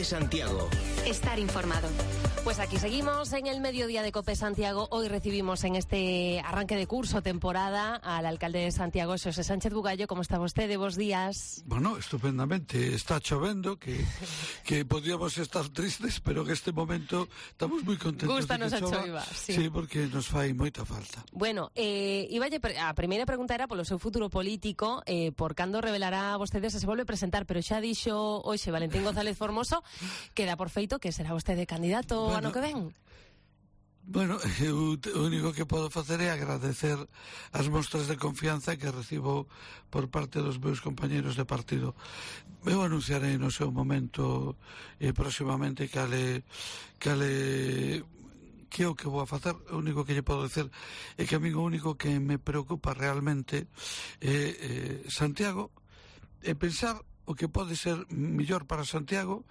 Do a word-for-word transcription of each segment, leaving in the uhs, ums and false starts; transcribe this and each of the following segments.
COPE Santiago. Estar informado. Pues aquí seguimos en el mediodía de COPE Santiago. Hoy recibimos en este arranque de curso, temporada, al alcalde de Santiago, Xosé Sánchez Bugallo. ¿Cómo está vostede? Bos días. Bueno, estupendamente. Está chovendo, que, que podríamos estar tristes, pero en este momento estamos moi contentos. Gústanos de que a chova. choiva, sí. Sí, porque nos fai moita falta. Bueno, eh, iballe, a primeira pregunta era polo seu futuro político, eh, por cando revelará vostede se se volve a presentar, pero xa dixo hoxe Valentín González Formoso que dá por feito que será vostede candidato Bueno, ano que ven. Bueno, eu o único que podo facer é agradecer as mostras de confianza que recibo por parte dos meus compañeros de partido. Eu anunciarei no seu momento e eh, próximamente cale cale que é o que vou a facer. O único que lle podo dizer é que a mí o único que me preocupa realmente é eh, Santiago, é pensar o que pode ser mellor para Santiago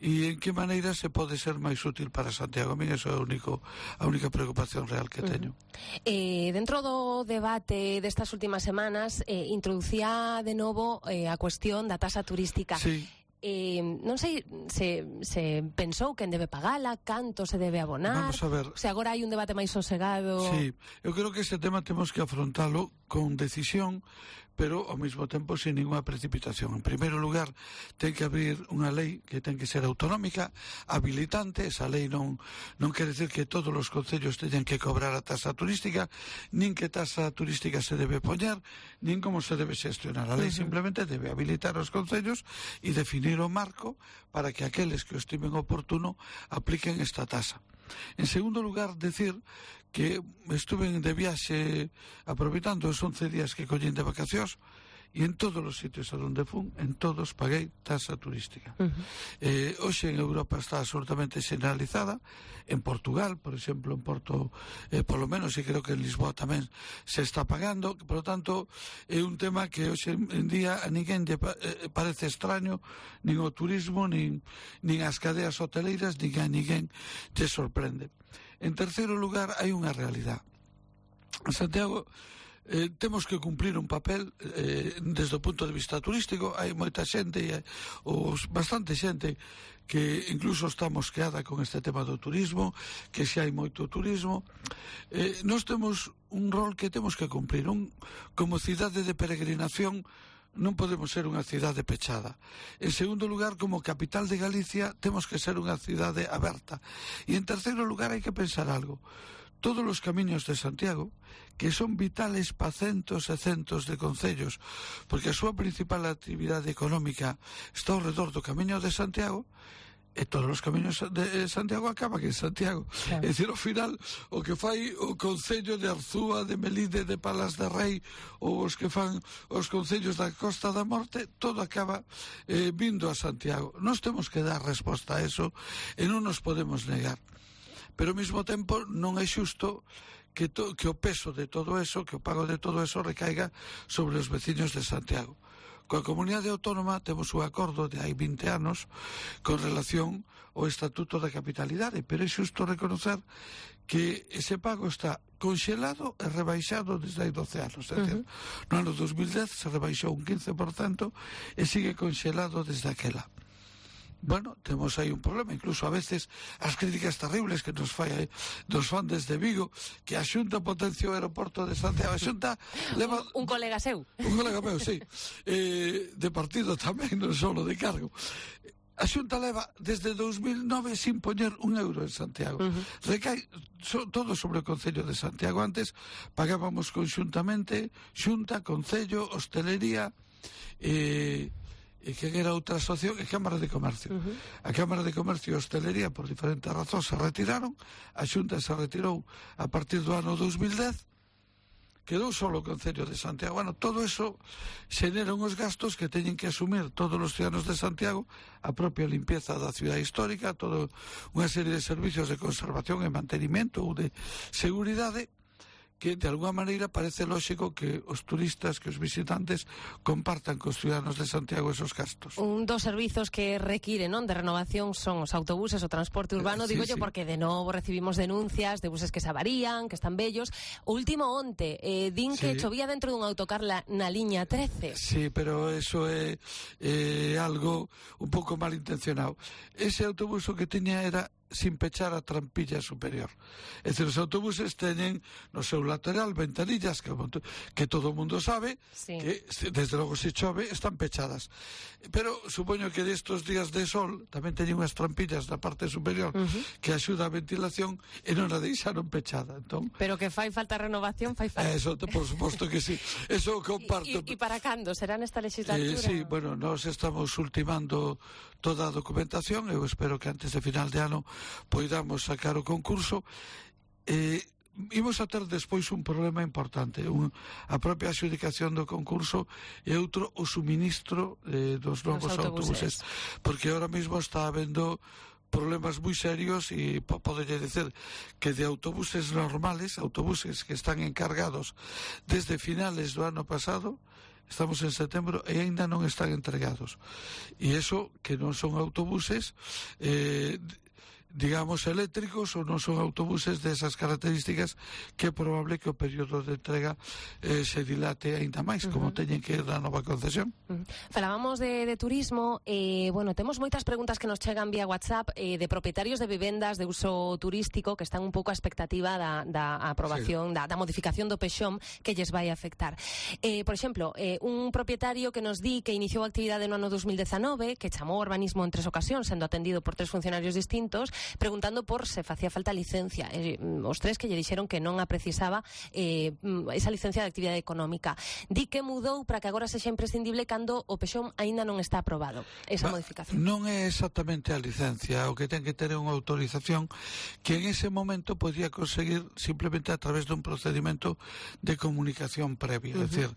e en que maneira se pode ser máis útil para Santiago. A mí eso é a, único, a única preocupación real que teño. Uh-huh. eh, Dentro do debate destas últimas semanas eh, introducía de novo eh, a cuestión da tasa turística. Sí. Eh, non sei se, se pensou quen debe pagala, canto se debe abonar. Vamos a ver. Se agora hai un debate máis sosegado. Sí, eu creo que este tema temos que afrontalo con decisión, pero ao mesmo tempo sin ninguna precipitación. En primeiro lugar, ten que abrir unha lei que ten que ser autonómica, habilitante. Esa lei non non quere decir que todos os concellos teñan que cobrar a tasa turística, nin que tasa turística se debe poñer, nin como se debe xestionar. A lei uh-huh. simplemente debe habilitar os concellos e definir o marco para que aqueles que o estimen oportuno apliquen esta tasa. En segundo lugar, decir que estuve de viaxe aproveitando os once días que collín de vacacións e en todos os sitios a donde fun, en todos paguei tasa turística. Uh-huh. Eh, hoxe en Europa está absolutamente generalizada. En Portugal, por exemplo, en Porto, eh, polo menos, e creo que en Lisboa tamén se está pagando. Por lo tanto, é un tema que hoxe en día a ninguén lle eh, parece extraño, nin o turismo, nin, nin as cadeas hoteleiras, nin a ninguén lle sorprende. En terceiro lugar, hai unha realidade. En Santiago Eh, temos que cumplir un papel eh, desde o punto de vista turístico. Hai moita xente e os, bastante xente que incluso está mosqueada con este tema do turismo, que se hai moito turismo. eh, Nós temos un rol que temos que cumplir. Un, como cidade de peregrinación non podemos ser unha cidade pechada. En segundo lugar, como capital de Galicia, temos que ser unha cidade aberta. E en terceiro lugar, hai que pensar algo. Todos os camiños de Santiago, que son vitales para centos e centos de concellos, porque a súa principal actividade económica está ao redor do camiño de Santiago, e todos os camiños de Santiago acaban en Santiago. Claro. É dicir, ao final, o que fai o concello de Arzúa, de Melide, de Palas de Rei, ou os que fan os concellos da Costa da Morte, todo acaba eh, vindo a Santiago. Nós temos que dar resposta a eso e non nos podemos negar. Pero ao mesmo tempo non é xusto que, to, que o peso de todo eso, que o pago de todo eso recaiga sobre os veciños de Santiago. Coa comunidade autónoma temos un acordo de hai vinte anos con relación ao Estatuto da Capitalidade, pero é xusto reconocer que ese pago está conxelado e rebaixado desde hai doce anos. É dicir, uh-huh. no ano dos mil dez se rebaixou un quince por cento e sigue conxelado desde aquela. Bueno, temos aí un problema, incluso a veces as críticas terribles que nos fai dos fan desde Vigo, que a Xunta potencia o aeroporto de Santiago. A Xunta leva... Un, un colega seu. Un colega meu, sí. Eh, de partido tamén, non só de cargo. A Xunta leva desde dous mil nove sin poñer un euro en Santiago. Uh-huh. Recai so, todo sobre o Concello de Santiago. Antes pagábamos conxuntamente Xunta, Concello, Hostelería, eh... e que era outra asociación, e Cámara de Comercio. Uh-huh. A Cámara de Comercio e Hostelería, por diferentes razóns, se retiraron. A Xunta se retirou a partir do ano dos mil dez. Quedou solo o Concello de Santiago. Bueno, todo eso xenera uns gastos que teñen que asumir todos os ciudadanos de Santiago, a propia limpieza da cidade histórica, toda unha serie de servicios de conservación e mantenimento ou de seguridade, que de alguna maneira parece lógico que os turistas, que os visitantes compartan cos ciudadanos de Santiago esos gastos. Un dos servizos que requiren, non, de renovación son os autobuses, o transporte urbano, sí, digo yo, sí. porque de novo recibimos denuncias de buses que se avarían, que están bellos. O último onte, eh, din sí. que chovía dentro dun autocar la, na liña trece. Sí, pero eso é, é algo un pouco malintencionado. Ese autobús o que tiña era sin pechar a trampilla superior. É dicir, os autobuses teñen no seu lateral ventanillas que, que todo o mundo sabe, sí. que desde logo se chove están pechadas. Pero supoño que destos días de sol tamén teñen unhas trampillas na parte superior uh-huh. que axuda a ventilación e non a deixaron pechada. Entón, pero que fai falta renovación, fai falta. Eso, por suposto que sí. Eso comparto. E para cando? Será nesta legislatura? Eh, sí, bueno, nós estamos ultimando toda a documentación. Eu espero que antes de final de ano poidamos sacar o concurso. Eh, imos a ter despois un problema importante, un, a propia adjudicación do concurso e outro o suministro eh, dos novos autobuses. autobuses, porque ahora mismo está habendo problemas moi serios e podería dicer que de autobuses normales, autobuses que están encargados desde finales do ano pasado, estamos en setembro e aínda non están entregados. E iso que non son autobuses eh, digamos eléctricos ou non son autobuses desas características, que é probable que o período de entrega eh, se dilate aínda máis, uh-huh. como teñen que ir na nova concesión. Uh-huh. Falábamos de, de turismo, eh, bueno, temos moitas preguntas que nos chegan vía WhatsApp eh, de propietarios de vivendas de uso turístico que están un pouco a expectativa da, da aprobación, sí. da, da modificación do PEXOM que lles vai afectar. Eh, por exemplo, eh, un propietario que nos di que iniciou a actividade no ano dos mil dezanove, que chamou urbanismo en tres ocasións, sendo atendido por tres funcionarios distintos, preguntando por se facía falta licencia. Eh, os tres que lle dixeron que non a precisaba eh, esa licencia de actividade económica. Di que mudou para que agora sexa imprescindible cando o PEXOM aínda non está aprobado, esa ba, modificación. Non é exactamente a licencia, o que ten que ter unha autorización que en ese momento podía conseguir simplemente a través dun procedimento de comunicación previa. Uh-huh. É dicir,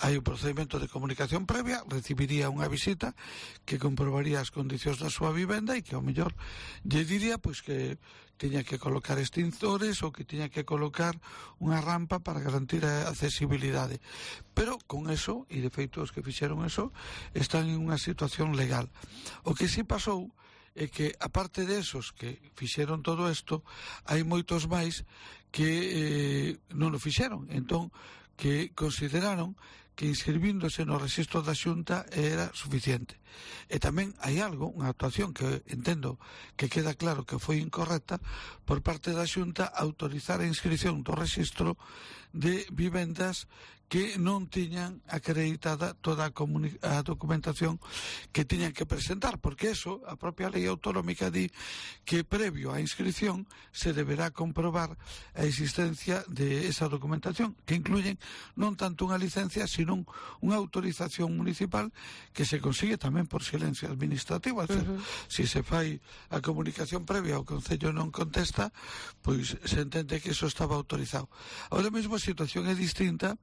hai un procedimento de comunicación previa, recibiría unha visita que comprobaría as condicións da súa vivenda e que ao mellor lle diría pois que tiña que colocar extintores ou que tiña que colocar unha rampa para garantir a accesibilidade. Pero con eso, e de feito os que fixeron eso, están en unha situación legal. O que sí pasou é que, aparte de esos que fixeron todo isto, hai moitos máis que eh, non o fixeron. Entón, que consideraron que inscribíndose no rexistro da Xunta era suficiente. E tamén hai algo, unha actuación que entendo que queda claro que foi incorrecta por parte da Xunta, autorizar a inscripción do rexistro de vivendas que non tiñan acreditada toda a, a documentación que tiñan que presentar, porque eso, a propia lei autonómica di que previo á inscripción se deberá comprobar a existencia de esa documentación, que incluyen non tanto unha licencia, sino unha autorización municipal que se consigue tamén por silencio administrativo. É dicir, uh-huh. si se fai a comunicación previa o Concello non contesta, pois se entende que eso estaba autorizado. Ahora mesmo a situación é distinta,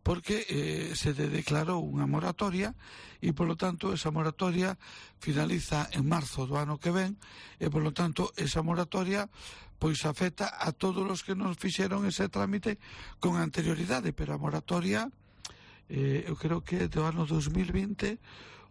porque eh, se declarou unha moratoria e, polo tanto, esa moratoria finaliza en marzo do ano que ven e, polo tanto, esa moratoria pois afecta a todos os que nos fixeron ese trámite con anterioridade, pero a moratoria eh, eu creo que é do ano dos mil vinte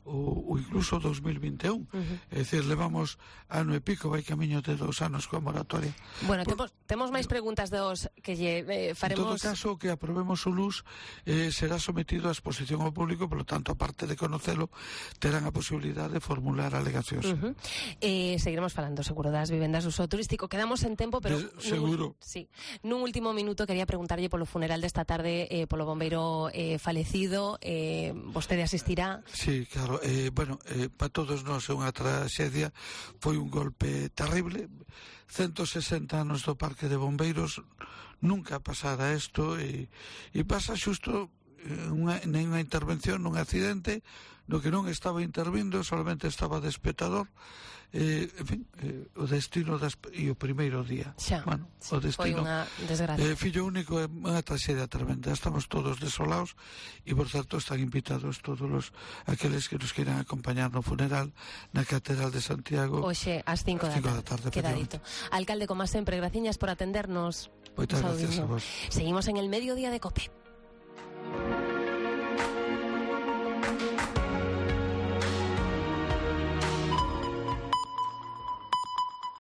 ou, ou incluso dos mil vinte e un. Uh-huh. É dicir, levamos ano e pico, vai camiño de dos anos coa moratoria. Bueno, Por, temos, temos máis preguntas dos que lle eh, faremos... En todo caso, que aprobemos o L U S eh, será sometido a exposición ao público, polo tanto, aparte de conocelo, terán a posibilidade de formular alegacións. Uh-huh. eh, seguiremos falando, seguro, das vivendas de uso turístico. Quedamos en tempo, pero... De, seguro. Nun, sí. Nun último minuto quería preguntarlle polo funeral desta tarde, eh, polo bombeiro eh, falecido. Eh, vostede asistirá? Sí, claro. Eh, bueno, eh, para todos nós é unha traxedia, foi un golpe terrible. ciento sesenta anos do Parque de Bombeiros, nunca pasara isto, e, e pasa xusto unha, unha intervención nun accidente no que non estaba intervindo, solamente estaba de espectador. Eh, en fin, eh, o destino das, e o primeiro día. Xa, bueno, sí, o destino, foi unha desgracia. Eh, fillo único é unha traxedia tremenda. Estamos todos desolados e, por certo, están invitados todos os aqueles que nos queiran acompañar no funeral na Catedral de Santiago. Oxe, ás cinco da tarde. tarde Queda dito. Alcalde, como sempre, graciñas por atendernos. Moitas gracias a vos. Seguimos en el Mediodía de COPE.